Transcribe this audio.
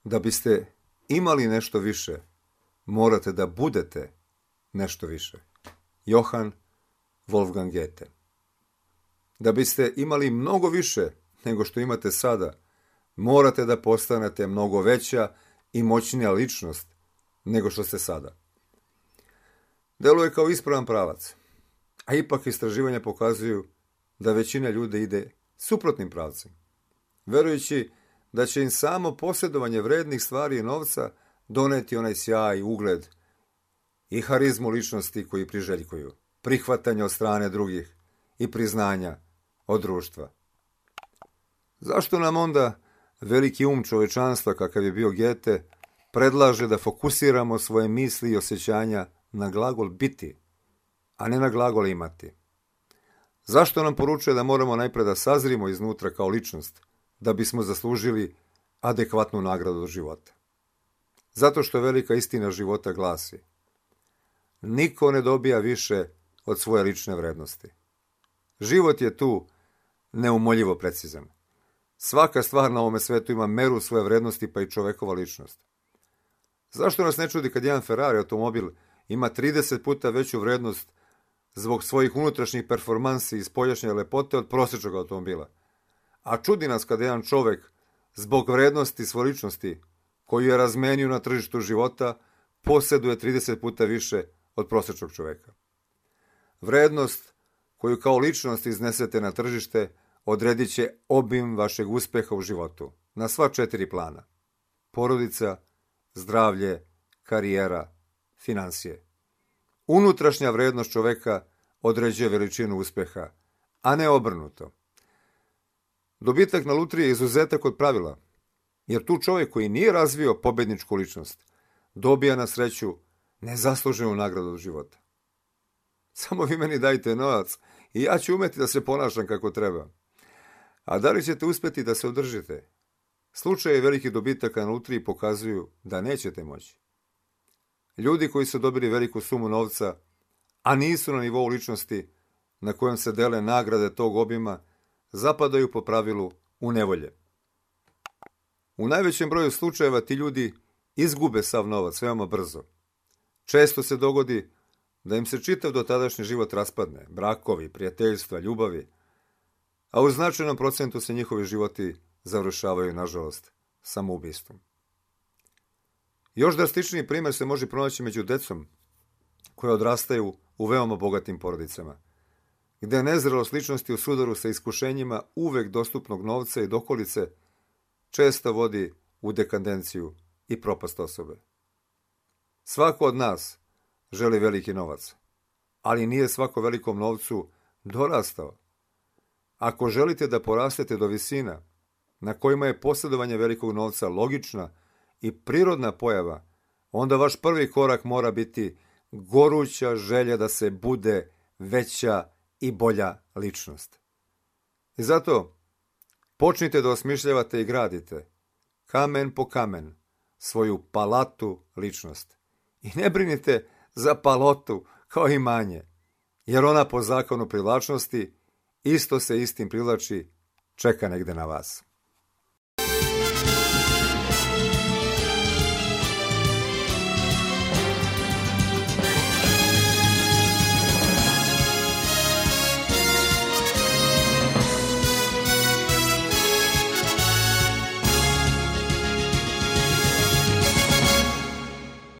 Da biste imali nešto više, morate da budete nešto više. Johann Wolfgang Goethe. Da biste imali mnogo više nego što imate sada, morate da postanete mnogo veća i moćnija ličnost nego što ste sada. Deluje kao ispravan pravac, a ipak istraživanja pokazuju da većina ljudi ide suprotnim pravcem, verujući da će im samo posjedovanje vrednih stvari i novca doneti onaj sjaj, ugled i harizmu ličnosti koji priželjkuju, prihvatanje od strane drugih i priznanja od društva. Zašto nam onda veliki čovečanstva, kakav je bio Goethe, predlaže da fokusiramo svoje misli i osjećanja na glagol biti, a ne na glagol imati? Zašto nam poručuje da moramo najpre da sazrimo iznutra kao ličnost, da bismo zaslužili adekvatnu nagradu od života? Zato što velika istina života glasi: niko ne dobija više od svoje lične vrednosti. Život je tu neumoljivo precizan. Svaka stvar na ovome svetu ima meru svoje vrednosti, pa i čovekova ličnost. Zašto nas ne čudi kad jedan Ferrari automobil ima 30 puta veću vrednost zbog svojih unutrašnjih performansi i spoljašnje lepote od prosječnog automobila? A čudi nas kada jedan čovek zbog vrednosti svoje ličnosti, koju je razmenio na tržištu života, posjeduje 30 puta više od prosječnog čoveka. Vrednost koju kao ličnost iznesete na tržište odredit će obim vašeg uspeha u životu na sva 4 plana: porodica, zdravlje, karijera, finansije. Unutrašnja vrednost čoveka određuje veličinu uspeha, a ne obrnuto. Dobitak na lutriji je izuzetak od pravila, jer tu čovjek koji nije razvio pobedničku ličnost dobija na sreću nezasluženu nagradu od života. Samo vi meni dajte novac i ja ću umeti da se ponašam kako treba. A da li ćete uspjeti da se održite? Slučaje velikih dobitaka na lutriji pokazuju da nećete moći. Ljudi koji su dobili veliku sumu novca, a nisu na nivou ličnosti na kojem se dele nagrade tog obima, zapadaju po pravilu u nevolje. U najvećem broju slučajeva ti ljudi izgube sav novac veoma brzo. Često se dogodi da im se čitav dotadašnji život raspadne, brakovi, prijateljstva, ljubavi, a u značajnom procentu se njihovi životi završavaju, nažalost, samoubistvom. Još drastičniji primjer se može pronaći među decom koje odrastaju u veoma bogatim porodicama, gde nezrelost ličnosti u sudaru sa iskušenjima uvek dostupnog novca i dokolice često vodi u dekadenciju i propast osobe. Svako od nas želi veliki novac, ali nije svako velikom novcu dorastao. Ako želite da porastete do visina na kojima je posjedovanje velikog novca logična i prirodna pojava, onda vaš prvi korak mora biti goruća želja da se bude veća i bolja ličnost. I zato počnite da osmišljavate i gradite, kamen po kamen, svoju palatu ličnost. I ne brinite za palotu kao imanje, jer ona po zakonu privlačnosti isto se istim privlači, čeka negde na vas.